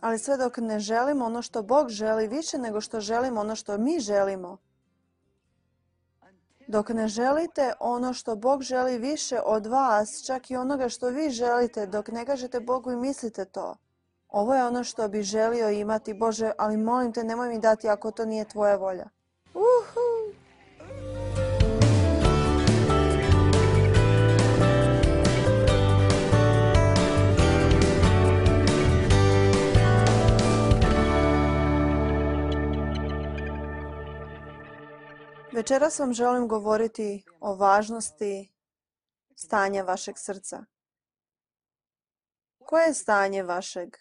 Ali sve dok ne želimo ono što Bog želi više nego što želimo ono što mi želimo, dok ne želite ono što Bog želi više od vas, čak i onoga što vi želite, dok ne kažete Bogu i mislite to. Ovo je ono što bi želio imati, Bože, ali molim te, nemoj mi dati ako to nije tvoja volja. Uhu! Večeras vam želim govoriti o važnosti stanja vašeg srca. Koje je stanje vašeg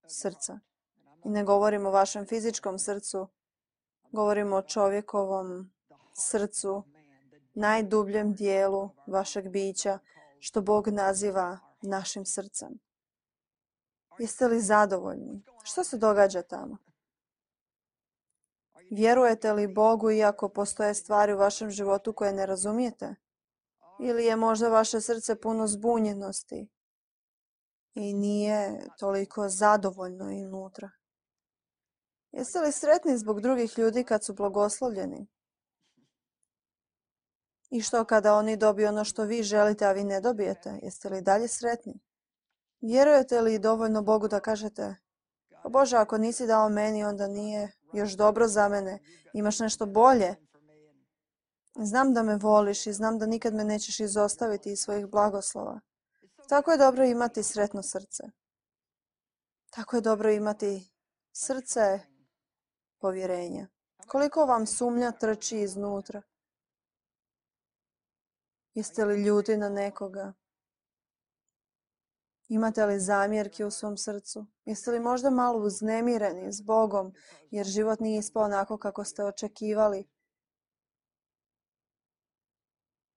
srca? I ne govorim o vašem fizičkom srcu, govorim o čovjekovom srcu, najdubljem dijelu vašeg bića, što Bog naziva našim srcem. Jeste li zadovoljni? Što se događa tamo? Vjerujete li Bogu iako postoje stvari u vašem životu koje ne razumijete? Ili je možda vaše srce puno zbunjenosti i nije toliko zadovoljno unutra? Jeste li sretni zbog drugih ljudi kad su blagoslovljeni? I što kada oni dobiju ono što vi želite, a vi ne dobijete? Jeste li dalje sretni? Vjerujete li dovoljno Bogu da kažete: "Pa Bože, ako nisi dao meni, onda nije još dobro za mene. Imaš nešto bolje. Znam da me voliš i znam da nikad me nećeš izostaviti iz svojih blagoslova." Tako je dobro imati sretno srce. Tako je dobro imati srce povjerenja. Koliko vam sumnja trči iznutra? Jeste li ljuti na nekoga? Imate li zamjerki u svom srcu? Jeste li možda malo uznemireni s Bogom jer život nije ispao onako kako ste očekivali?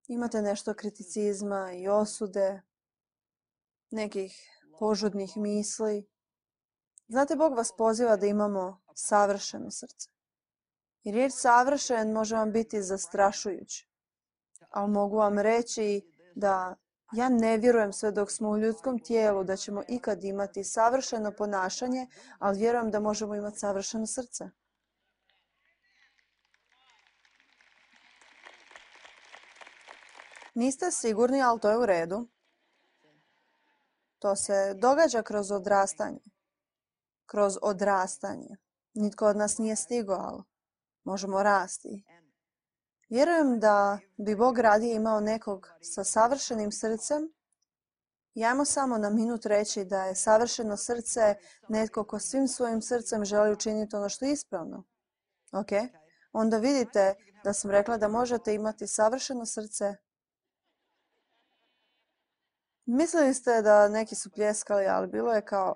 Imate nešto kriticizma i osude, nekih požudnih misli? Znate, Bog vas poziva da imamo savršeno srce. I riječ savršen može vam biti zastrašujući. Ali mogu vam reći da ja ne vjerujem sve dok smo u ljudskom tijelu da ćemo ikad imati savršeno ponašanje, ali vjerujem da možemo imati savršeno srce. Niste sigurni, ali to je u redu. To se događa kroz odrastanje. Kroz odrastanje. Nitko od nas nije stigao, ali možemo rasti. Vjerujem da bi Bog radije imao nekog sa savršenim srcem. I ajmo samo na minut reći da je savršeno srce netko ko svim svojim srcem želi učiniti ono što je ispravno. Ok? Onda vidite da sam rekla da možete imati savršeno srce. Mislili ste da neki su pljeskali, ali bilo je kao...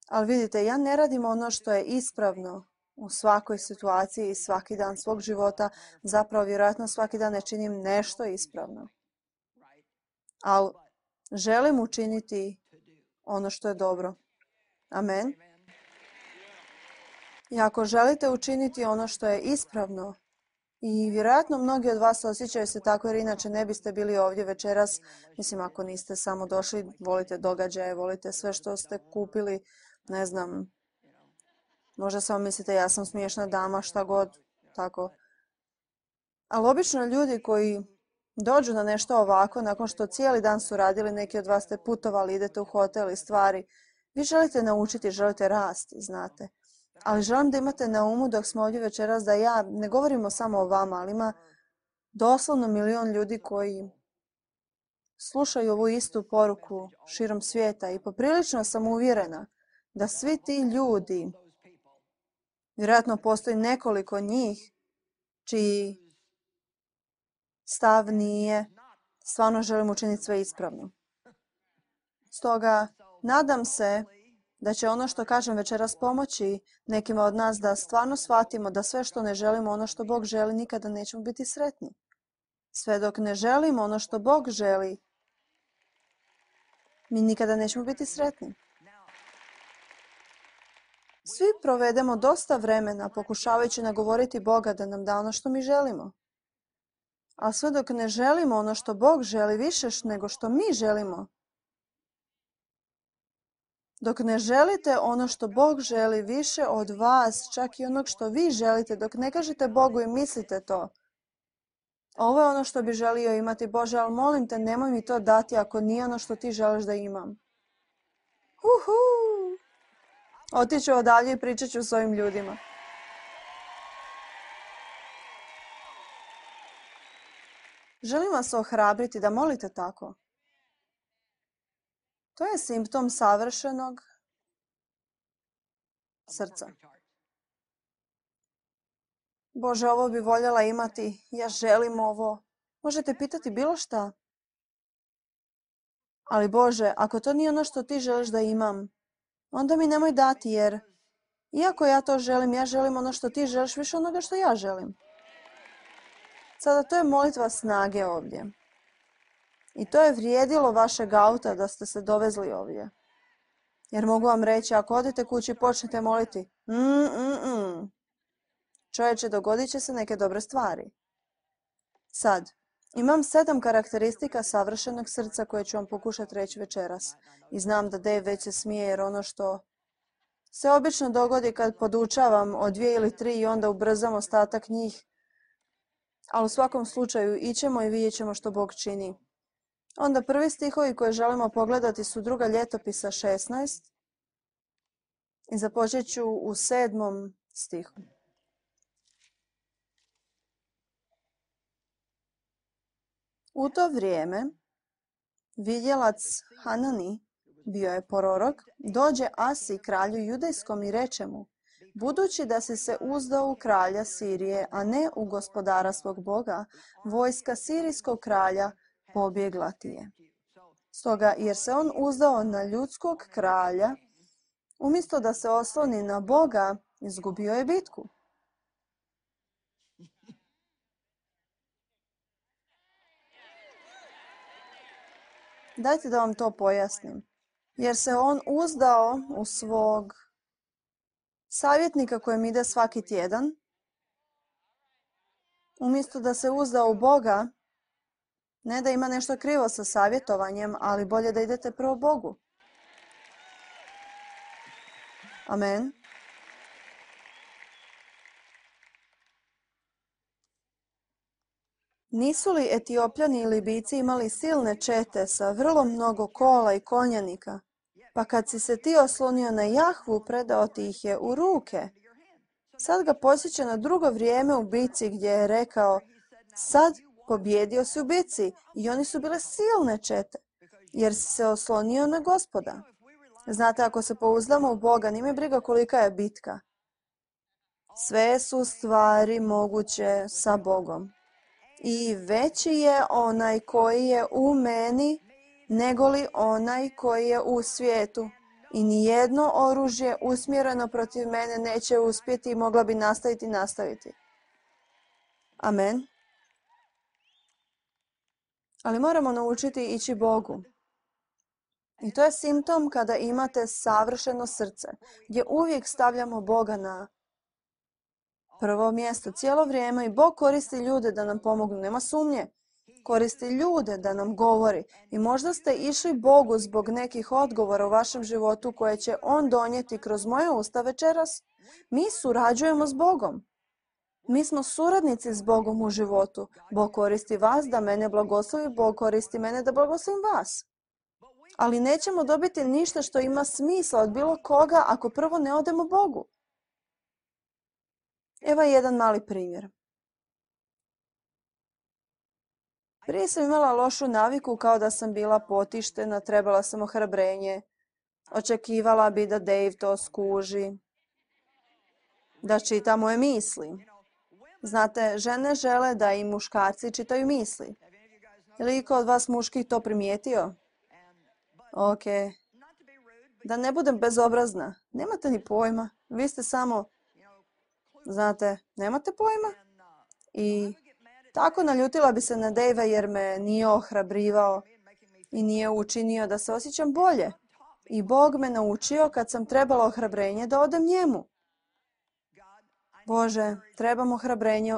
Ali vidite, ja ne radim ono što je ispravno u svakoj situaciji i svaki dan svog života. Zapravo, vjerojatno svaki dan ne činim nešto ispravno. Ali želim učiniti ono što je dobro. Amen. I ako želite učiniti ono što je ispravno, i vjerojatno mnogi od vas osjećaju se tako jer inače ne biste bili ovdje večeras, mislim ako niste samo došli, volite događaje, volite sve što ste kupili, ne znam, možda samo mislite ja sam smiješna dama, šta god, tako. Ali obično ljudi koji dođu na nešto ovako, nakon što cijeli dan su radili, neki od vas ste putovali, idete u hotel i stvari, vi želite naučiti, želite rasti, znate. Ali želim da imate na umu dok smo ovdje večeras da ja ne govorimo samo o vama, ali ima doslovno milion ljudi koji slušaju ovu istu poruku širom svijeta i poprilično sam uvjerena da svi ti ljudi, vjerojatno postoji nekoliko njih čiji stav nije stvarno želim učiniti sve ispravno. Stoga nadam se da će ono što kažem večeras pomoći nekima od nas da stvarno shvatimo da sve što ne želimo ono što Bog želi nikada nećemo biti sretni. Sve dok ne želimo ono što Bog želi, mi nikada nećemo biti sretni. Svi provedemo dosta vremena pokušavajući nagovoriti Boga da nam da ono što mi želimo. A sve dok ne želimo ono što Bog želi više nego što mi želimo, Dok ne želite ono što Bog želi više od vas, čak i onog što vi želite, dok ne kažete Bogu i mislite to. Ovo je ono što bi želio imati, Bože, ali molim te, nemoj mi to dati ako nije ono što ti želiš da imam. Otiću odavdje i pričat ću s ovim ljudima. Želim vas ohrabriti da molite tako. To je simptom savršenog srca. Bože, ovo bi voljela imati, ja želim ovo. Možete pitati bilo šta. Ali Bože, ako to nije ono što ti želiš da imam, onda mi nemoj dati, jer iako ja to želim, ja želim ono što ti želiš više onoga što ja želim. Sada to je molitva snage ovdje. I to je vrijedilo vašeg auta da ste se dovezli ovdje. Jer mogu vam reći, ako odete kući i počnete moliti, čovječe, dogodit će se neke dobre stvari. Sad, imam 7 karakteristika savršenog srca koje ću vam pokušati reći večeras. I znam da Dave već se smije jer ono što se obično dogodi kad podučavam o 2 ili 3 i onda ubrzam ostatak njih. Ali u svakom slučaju ićemo i vidjet ćemo što Bog čini. Onda prvi stihovi koje želimo pogledati su 2. Ljetopisa 16. I započet ću u 7. stihu. U to vrijeme vidjelac Hanani, bio je prorok, dođe Asi kralju judejskom i reče mu: budući da si se uzdao u kralja Sirije, a ne u gospodara svog Boga, vojska sirijskog kralja pobjegla ti je. Stoga, jer se on uzdao na ljudskog kralja, umjesto da se osloni na Boga, izgubio je bitku. Dajte da vam to pojasnim. Jer se on uzdao u svog savjetnika kojem ide svaki tjedan, umjesto da se uzdao u Boga, ne da ima nešto krivo sa savjetovanjem, ali bolje da idete prvo Bogu. Amen. Nisu li Etiopljani i Libijci imali silne čete sa vrlo mnogo kola i konjanika? Pa kad si se ti oslonio na Jahvu, predao ti ih je u ruke. Sad ga posjeća na drugo vrijeme u bici gdje je rekao: sad pobjedio si u bici, i oni su bile silne čete, jer si se oslonio na Gospoda. Znate, ako se pouzdamo u Boga, nije briga kolika je bitka. Sve su stvari moguće sa Bogom. I veći je onaj koji je u meni, negoli onaj koji je u svijetu. I nijedno oružje usmjereno protiv mene neće uspjeti i mogla bi nastaviti. Amen. Ali moramo naučiti ići Bogu. I to je simptom kada imate savršeno srce, gdje uvijek stavljamo Boga na prvo mjesto cijelo vrijeme i Bog koristi ljude da nam pomognu, nema sumnje. Koristi ljude da nam govori i možda ste išli Bogu zbog nekih odgovora u vašem životu koje će On donijeti kroz moje usta večeras. Mi surađujemo s Bogom. Mi smo suradnici s Bogom u životu. Bog koristi vas da mene blagoslovi, Bog koristi mene da blagoslovim vas. Ali nećemo dobiti ništa što ima smisla od bilo koga ako prvo ne odemo Bogu. Evo jedan mali primjer. Prije sam imala lošu naviku kao da sam bila potištena, trebala sam ohrabrenje. Očekivala bi da Dave to skuži, da čita moje misli. Znate, žene žele da i muškarci čitaju misli. Je li iko od vas muških to primijetio? Ok. Da ne budem bezobrazna. Nemate ni pojma. Vi ste samo, znate, nemate pojma. I tako naljutila bi se na Dave jer me nije ohrabrivao i nije učinio da se osjećam bolje. I Bog me naučio kad sam trebala ohrabrenje da odem njemu. Bože, trebam ohrabrenje,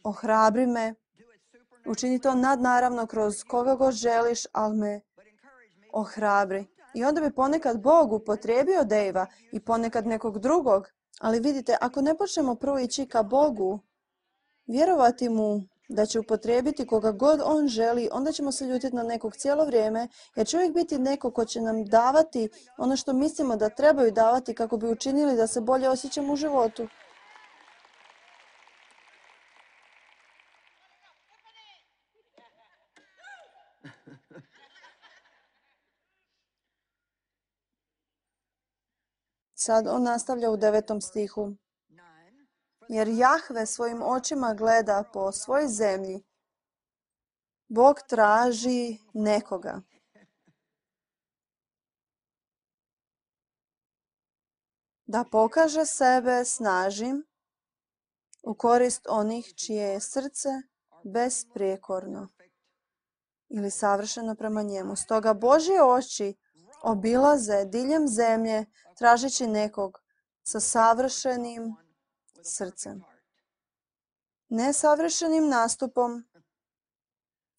ohrabri me, učini to nadnaravno kroz koga god želiš, ali me ohrabri. I onda bi ponekad Bog upotrijebio Dejva i ponekad nekog drugog. Ali vidite, ako ne počnemo prvo ići ka Bogu, vjerovati mu da će upotrijebiti koga god on želi, onda ćemo se ljutiti na nekog cijelo vrijeme, jer će uvijek biti neko ko će nam davati ono što mislimo da trebaju davati kako bi učinili da se bolje osjećamo u životu. Sad on nastavlja u 9. stihu. Jer Jahve svojim očima gleda po svojoj zemlji. Bog traži nekoga. Da pokaže sebe snažnim u korist onih čije je srce besprijekorno ili savršeno prema njemu. Stoga Božje oči obilaze diljem zemlje tražeći nekog sa savršenim srcem. Ne savršenim nastupom,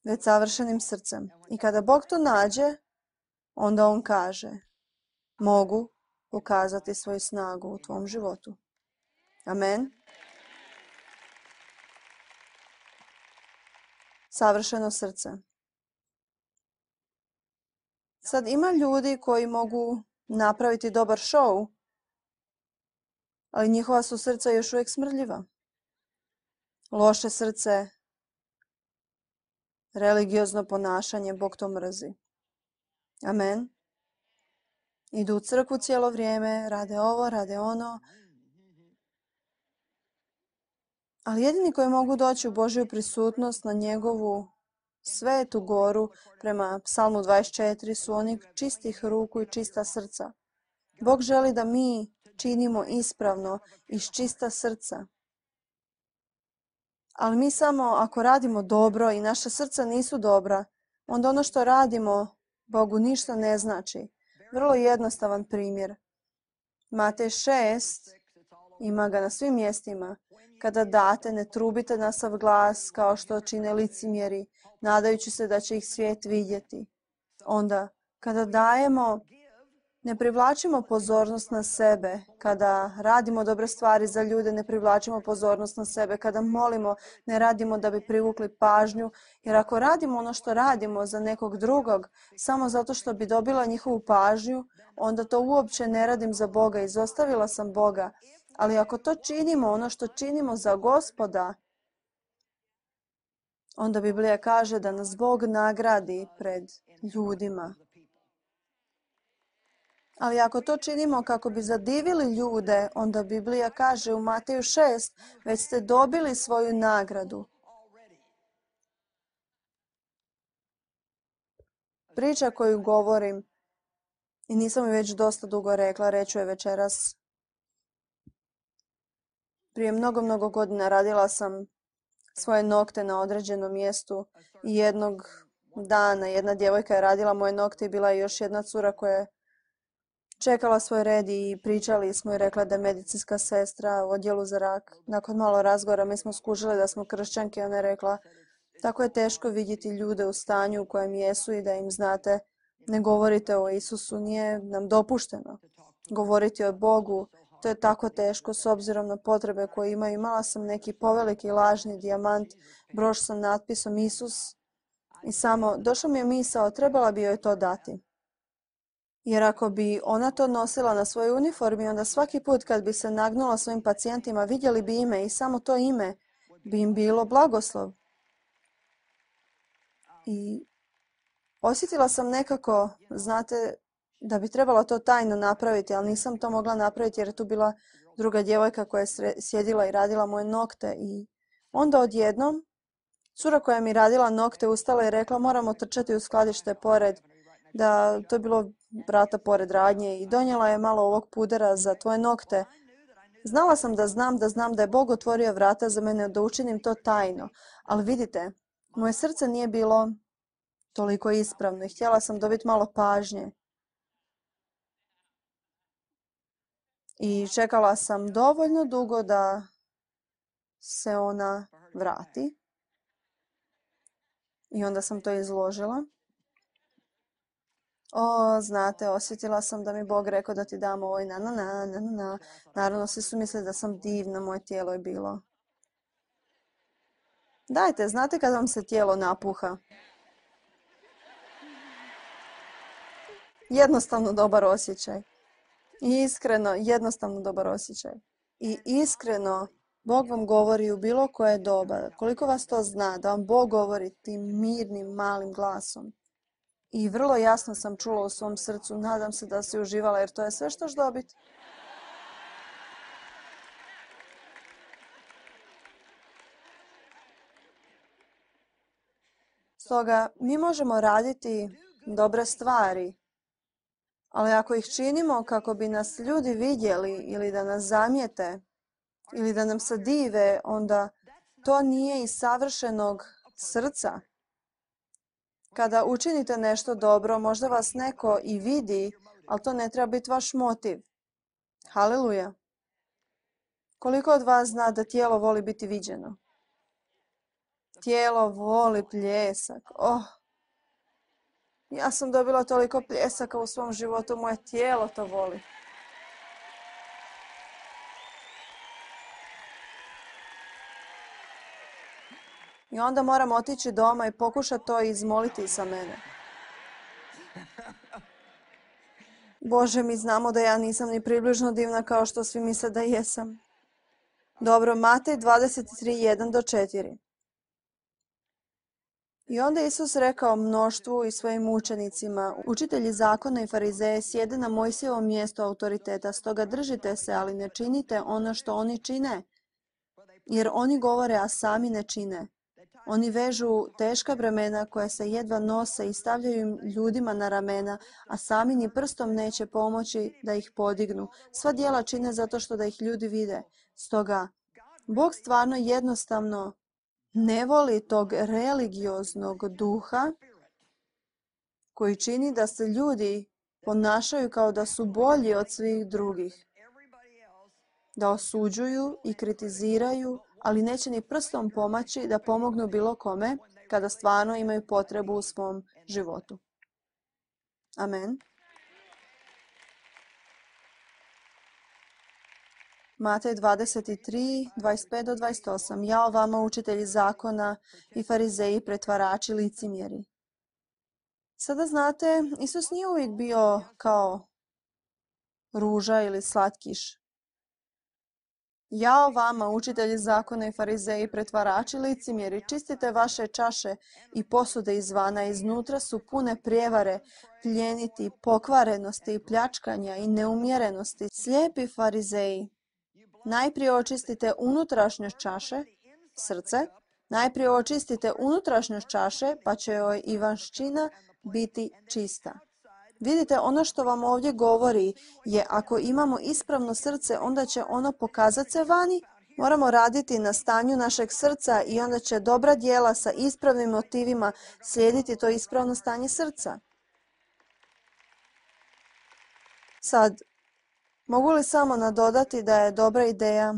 već savršenim srcem. I kada Bog to nađe, onda on kaže, mogu pokazati svoju snagu u tvom životu. Amen. Savršeno srce. Sad ima ljudi koji mogu napraviti dobar šou, ali njihova su srca još uvijek smrdljiva. Loše srce, religiozno ponašanje, Bog to mrzi. Amen. Idu u crkvu cijelo vrijeme, rade ovo, rade ono. Ali jedini koji mogu doći u Božju prisutnost na njegovu svetu goru prema Psalmu 24 su oni čistih ruku i čista srca. Bog želi da mi činimo ispravno iz čista srca. Ali mi samo ako radimo dobro i naša srca nisu dobra, onda ono što radimo Bogu ništa ne znači. Vrlo jednostavan primjer. Matej 6, ima ga na svim mjestima. Kada date, ne trubite na sav glas kao što čine licemjeri, nadajući se da će ih svijet vidjeti. Onda, kada dajemo, ne privlačimo pozornost na sebe. Kada radimo dobre stvari za ljude, ne privlačimo pozornost na sebe. Kada molimo, ne radimo da bi privukli pažnju. Jer ako radimo ono što radimo za nekog drugog, samo zato što bi dobila njihovu pažnju, onda to uopće ne radim za Boga. Izostavila sam Boga. Ali ako to činimo, ono što činimo za Gospoda, onda Biblija kaže da nas Bog nagradi pred ljudima. Ali ako to činimo kako bi zadivili ljude, onda Biblija kaže u Mateju 6, već ste dobili svoju nagradu. Priča koju govorim, i nisam ju već dosta dugo rekla, reću je večeras. Prije mnogo godina radila sam svoje nokte na određenom mjestu i jednog dana jedna djevojka je radila moje nokte i bila je još jedna cura koja je čekala svoj red i pričali smo i rekla da je medicinska sestra u odjelu za rak. Nakon malo razgovora mi smo skužili da smo kršćanke i ona je rekla tako je teško vidjeti ljude u stanju u kojem jesu i da im znate ne govorite o Isusu, nije nam dopušteno govoriti o Bogu. To je tako teško s obzirom na potrebe koje imaju. Imala sam neki poveliki lažni dijamant, broš sa natpisom Isus i samo došla mi je misao, trebala bi joj to dati. Jer ako bi ona to nosila na svojoj uniformi, onda svaki put kad bi se nagnula svojim pacijentima, vidjeli bi ime i samo to ime bi im bilo blagoslov. I osjetila sam nekako, znate, da bi trebala to tajno napraviti, ali nisam to mogla napraviti jer je tu bila druga djevojka koja je sjedila i radila moje nokte. I onda odjednom, cura koja mi radila nokte ustala i rekla moramo trčati u skladište pored, da to je bilo vrata pored radnje i donijela je malo ovog pudera za tvoje nokte. Znala sam da je Bog otvorio vrata za mene da učinim to tajno. Ali vidite, moje srce nije bilo toliko ispravno i htjela sam dobiti malo pažnje. I čekala sam dovoljno dugo da se ona vrati. I onda sam to izložila. O, znate, osjetila sam da mi Bog rekao da ti dam ovo i na. Naravno, svi su mislili da sam divna, moje tijelo je bilo. Dajte, znate kad vam se tijelo napuha? Jednostavno dobar osjećaj. Iskreno, jednostavno dobar osjećaj. I iskreno, Bog vam govori u bilo koje doba. Koliko vas to zna, da vam Bog govori tim mirnim, malim glasom. I vrlo jasno sam čula u svom srcu, nadam se da si uživala, jer to je sve što ćeš dobiti. Stoga, mi možemo raditi dobre stvari, ali ako ih činimo kako bi nas ljudi vidjeli ili da nas zamijete ili da nam se dive, onda to nije iz savršenog srca. Kada učinite nešto dobro, možda vas neko i vidi, ali to ne treba biti vaš motiv. Haleluja. Koliko od vas zna da tijelo voli biti viđeno? Tijelo voli pljesak. Oh, ja sam dobila toliko pljesaka u svom životu, moje tijelo to voli. I onda moram otići doma i pokušati to izmoliti sa mene. Bože, mi znamo da ja nisam ni približno divna kao što svi misle da jesam. Dobro, Matej 23:1-4. I onda Isus rekao mnoštvu i svojim učenicima, učitelji zakona i farizeje sjede na Mojsijevom mjestu autoriteta, stoga držite se, ali ne činite ono što oni čine, jer oni govore, a sami ne čine. Oni vežu teška bremena koja se jedva nose i stavljaju im ljudima na ramena, a sami ni prstom neće pomoći da ih podignu. Sva djela čine zato što da ih ljudi vide. Stoga, Bog stvarno jednostavno ne voli tog religioznog duha koji čini da se ljudi ponašaju kao da su bolji od svih drugih. Da osuđuju i kritiziraju, ali neće ni prstom pomaći da pomognu bilo kome kada stvarno imaju potrebu u svom životu. Amen. Matej 23:25-28. Jao vama, učitelji zakona i farizeji, pretvarači, licemjeri. Sada znate, Isus nije uvijek bio kao ruža ili slatkiš. Jao vama, učitelji zakona i farizeji, pretvarači, licemjeri, čistite vaše čaše i posude izvana, iznutra su pune prijevare, pljeniti, pokvarenosti i pljačkanja i neumjerenosti. Slijepi farizeji, najprije očistite unutrašnjost čaše, srce, najprije očistite unutrašnjost čaše, pa će joj i vanjština biti čista. Vidite, ono što vam ovdje govori je ako imamo ispravno srce, onda će ono pokazati se vani. Moramo raditi na stanju našeg srca i onda će dobra djela sa ispravnim motivima slijediti to ispravno stanje srca. Sad, mogu li samo nadodati da je dobra ideja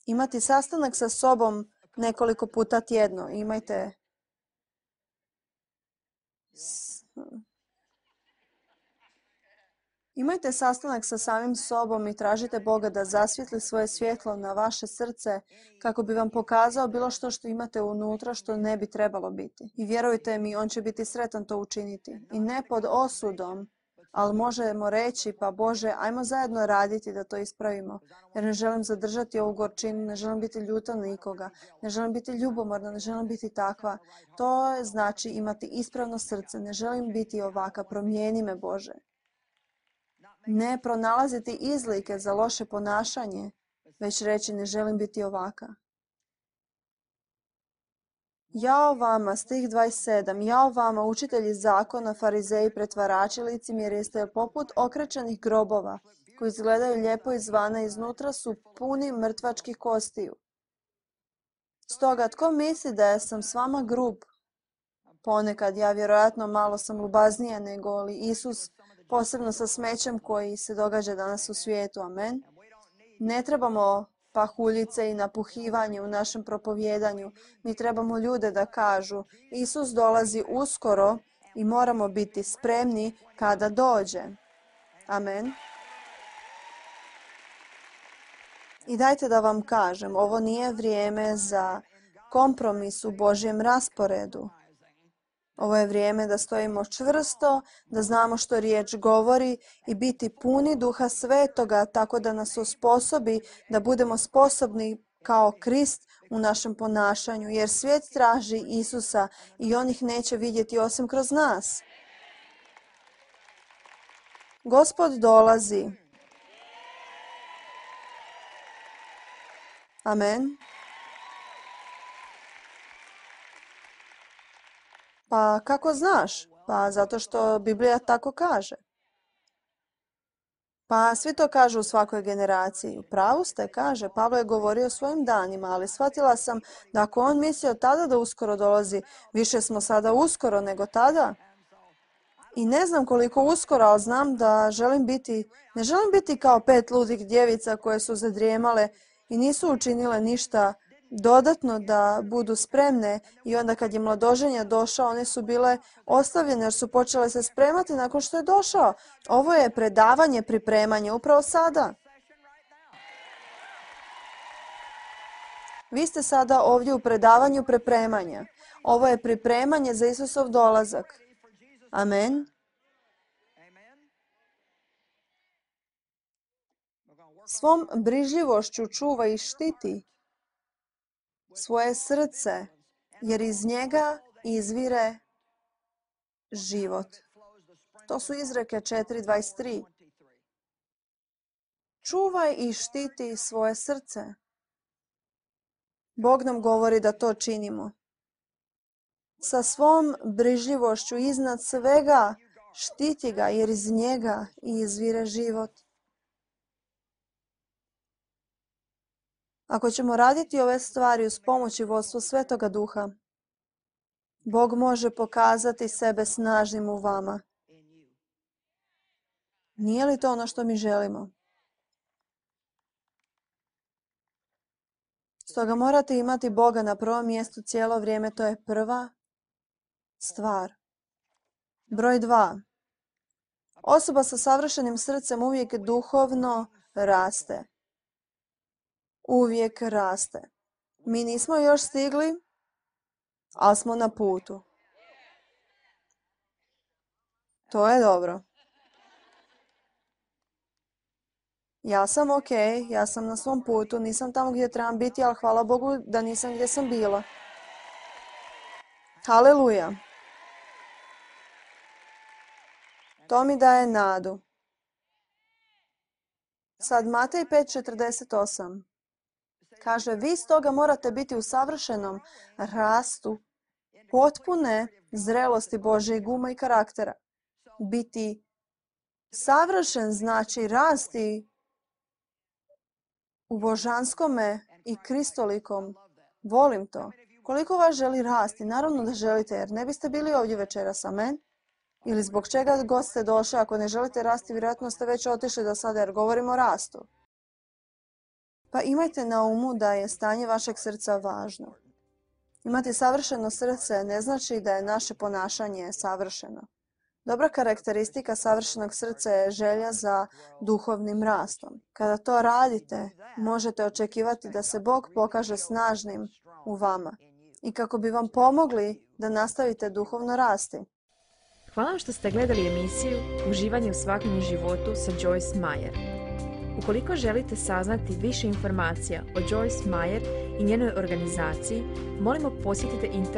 imati sastanak sa sobom nekoliko puta tjedno? Imajte sastanak sa samim sobom i tražite Boga da zasvijetli svoje svjetlo na vaše srce kako bi vam pokazao bilo što imate unutra što ne bi trebalo biti. I vjerujte mi, on će biti sretan to učiniti. I ne pod osudom, ali možemo reći, pa Bože, ajmo zajedno raditi da to ispravimo. Jer ne želim zadržati ovu gorčinu, ne želim biti ljuta na nikoga, ne želim biti ljubomorna, ne želim biti takva. To znači imati ispravno srce, ne želim biti ovaka, promijeni me Bože. Ne pronalaziti izlike za loše ponašanje, već reći ne želim biti ovaka. Jao vama, stih 27, jao vama, učitelji zakona, farizeji, pretvarači, licemjeri, jeste poput okrečenih grobova, koji izgledaju lijepo izvana, iznutra su puni mrtvačkih kostiju. Stoga, tko misli da sam s vama grub? Ponekad, ja vjerojatno malo sam ljubaznija nego li Isus, posebno sa smećem koji se događa danas u svijetu. Amen. Ne trebamo pahuljice i napuhivanje u našem propovjedanju. Mi trebamo ljude da kažu, Isus dolazi uskoro i moramo biti spremni kada dođe. Amen. I dajte da vam kažem, ovo nije vrijeme za kompromis u Božjem rasporedu. Ovo je vrijeme da stojimo čvrsto, da znamo što riječ govori i biti puni Duha Svetoga tako da nas osposobi da budemo sposobni kao Krist u našem ponašanju, jer svijet traži Isusa i on ih neće vidjeti osim kroz nas. Gospod dolazi. Amen. Pa kako znaš? Pa zato što Biblija tako kaže. Pa svi to kažu u svakoj generaciji. U pravu ste, kaže. Pavlo je govorio o svojim danima, ali shvatila sam da ako on mislio tada da uskoro dolazi, više smo sada uskoro nego tada. I ne znam koliko uskoro, ali znam da ne želim biti kao 5 ludih djevica koje su zadrijemale i nisu učinile ništa dodatno da budu spremne i onda kad je mladoženja došao, one su bile ostavljene jer su počele se spremati nakon što je došao. Ovo je predavanje, pripremanje upravo sada. Vi ste sada ovdje u predavanju pripremanja. Ovo je pripremanje za Isusov dolazak. Amen. Svom brižljivošću čuva i štiti svoje srce, jer iz njega izvire život. To su Izreke 4:23. Čuvaj i štiti svoje srce. Bog nam govori da to činimo. Sa svom brižljivošću iznad svega štiti ga, jer iz njega izvire život. Ako ćemo raditi ove stvari uz pomoć i vodstvo Svetoga Duha, Bog može pokazati sebe snažnim u vama. Nije li to ono što mi želimo? Stoga morate imati Boga na prvom mjestu cijelo vrijeme, to je prva stvar. Broj 2. Osoba sa savršenim srcem uvijek duhovno raste. Uvijek raste. Mi nismo još stigli, ali smo na putu. To je dobro. Ja sam ok, ja sam na svom putu, nisam tamo gdje trebam biti, ali hvala Bogu da nisam gdje sam bila. Haleluja. To mi daje nadu. Sad Matej 5:48. Kaže, vi stoga morate biti u savršenom rastu potpune zrelosti Božjeg uma i karaktera. Biti savršen znači rasti u božanskome i kristolikom. Volim to. Koliko vas želi rasti? Naravno da želite, jer ne biste bili ovdje večeras, amen? Ili zbog čega god ste došli, ako ne želite rasti, vjerojatno ste već otišli do sada, jer govorimo o rastu. Pa imajte na umu da je stanje vašeg srca važno. Imati savršeno srce ne znači da je naše ponašanje savršeno. Dobra karakteristika savršenog srca je želja za duhovnim rastom. Kada to radite, možete očekivati da se Bog pokaže snažnim u vama i kako bi vam pomogli da nastavite duhovno rasti. Hvala vam što ste gledali emisiju Uživanje u svakodnevnom životu sa Joyce Meyer. Ukoliko želite saznati više informacija o Joyce Meyer i njenoj organizaciji, molimo posjetite internet